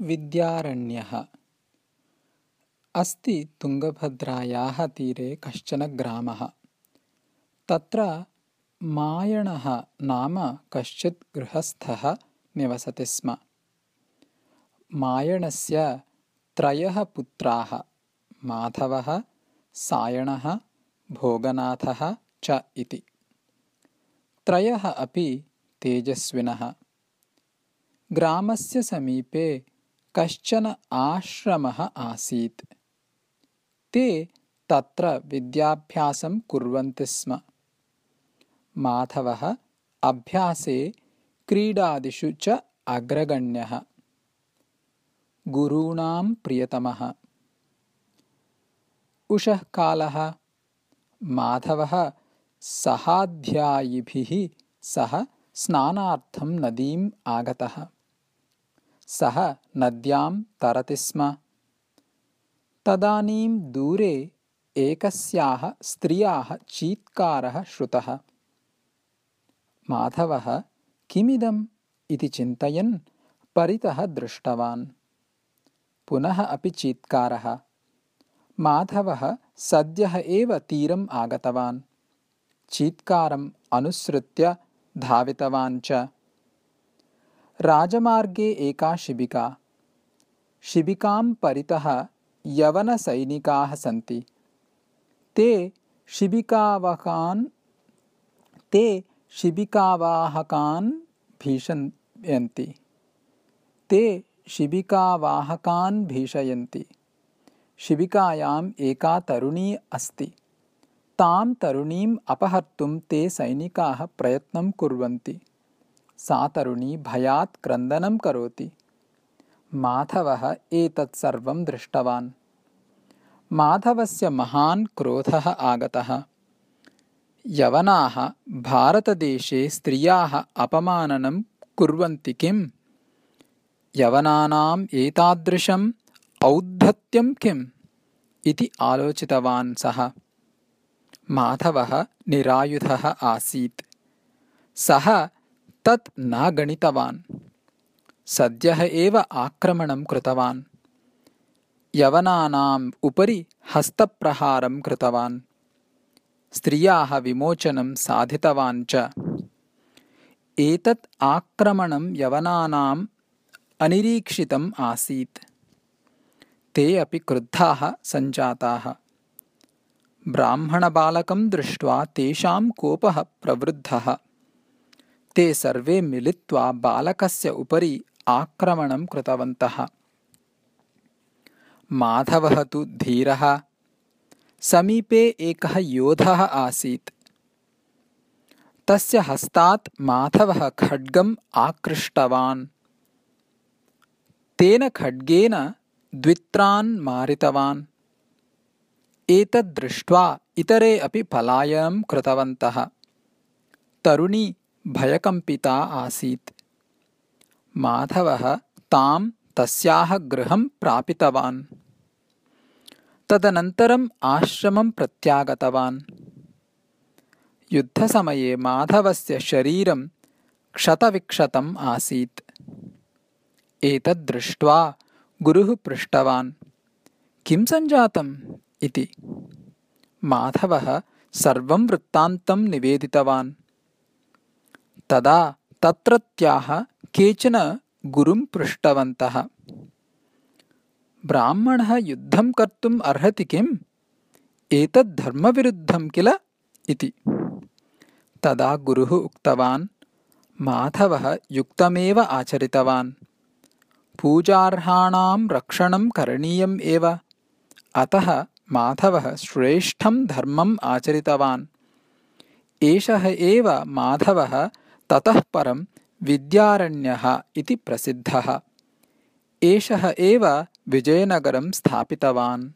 विद्यारण्यः अस्ति तुङ्गभद्रायाः तीरे कश्चन ग्रामः। तत्र मायणः नाम कश्चित् गृहस्थः निवसति स्म। मायणस्य 3 पुत्राः माधवः, सायणः, भोगनाथः च इति। 3 अपि तेजस्विनः। ग्रामस्य समीपे कश्चन आश्रमः आसीत्। ते तत्र विद्याभ्यासं कुर्वन्ति स्म। माधवः अभ्यासे क्रीडादिषु च अग्रगण्यः, गुरूणां प्रियतमः। उषः कालः। माधवः सहाध्यायिभिः सह स्नानार्थं नदीम् आगतः। सः नद्यां तरति स्म। तदानीं दूरे एकस्याः स्त्रियाः चीत्कारः श्रुतः। माधवः किमिदम् इति चिन्तयन् परितः दृष्टवान्। पुनः अपि चीत्कारः। माधवः सद्यः एव तीरम् आगतवान्। चीत्कारम् अनुसृत्य धावितवान् च। राजमार्गे एका शिबिका। शिबिकां परितः यवनसैनिकाः सन्ति। ते शिबिकावाहकान् भीषयन्ति। शिबिकायाम् एका तरुणी अस्ति। तां तरुणीम् अपहर्तुं ते सैनिकाः प्रयत्नं कुर्वन्ति। सा तरुणी भयात् क्रन्दनं करोति। माधवः एतत् सर्वं दृष्टवान्। माधवस्य महान् क्रोधः आगतः। यवनाः भारतदेशे स्त्रियाः अपमाननं कुर्वन्ति किम्? यवनानाम् एतादृशम् औद्धत्यं किम्? इति आलोचितवान् सः। माधवः निरायुधः आसीत्। सः तत् न गणितवान्। सद्यः एव आक्रमणं कृतवान्। यवनानाम् उपरि हस्तप्रहारं कृतवान्। स्त्रियाः विमोचनं साधितवान् च। एतत् आक्रमणं यवनानाम् अनिरीक्षितम् आसीत्। ते अपि क्रुद्धाः सञ्जाताः। ब्राह्मणबालकं दृष्ट्वा तेषां कोपः प्रवृद्धः। ते सर्वे मिलित्वा बालकस्य उपरि आक्रमणं कृतवन्तः। माधवः तु धीरः। समीपे एकः योधः आसीत्। तस्य हस्तात् माधवः खड्गम् आकृष्टवान्। तेन खड्गेन द्वित्रान् मारितवान्। एतद् दृष्ट्वा इतरे अपि पलायनं कृतवन्तः। तरुणी भयकम्पिता आसीत्। माधवः तां तस्याः गृहं प्रापितवान्। तदनन्तरम् आश्रमं प्रत्यागतवान्। युद्धसमये माधवस्य शरीरं क्षतविक्षतम् आसीत्। एतद् दृष्ट्वा गुरुः पृष्टवान्, किं सञ्जातम् इति। माधवः सर्वं वृत्तान्तं निवेदितवान्। तदा तत्रत्याः केचन गुरुं पृष्टवन्तः, ब्राह्मणः युद्धं कर्तुम् अर्हति किम्? एतत् धर्मविरुद्धं किल इति। तदा गुरुः उक्तवान्, माधवः युक्तमेव आचरितवान्। पूजार्हाणां रक्षणं करणीयम् एव। अतः माधवः श्रेष्ठं धर्मम् आचरितवान्। एषः एव माधवः ततः परं विद्यारण्यः इति प्रसिद्धः। एषः एव विजयनगरं स्थापितवान्।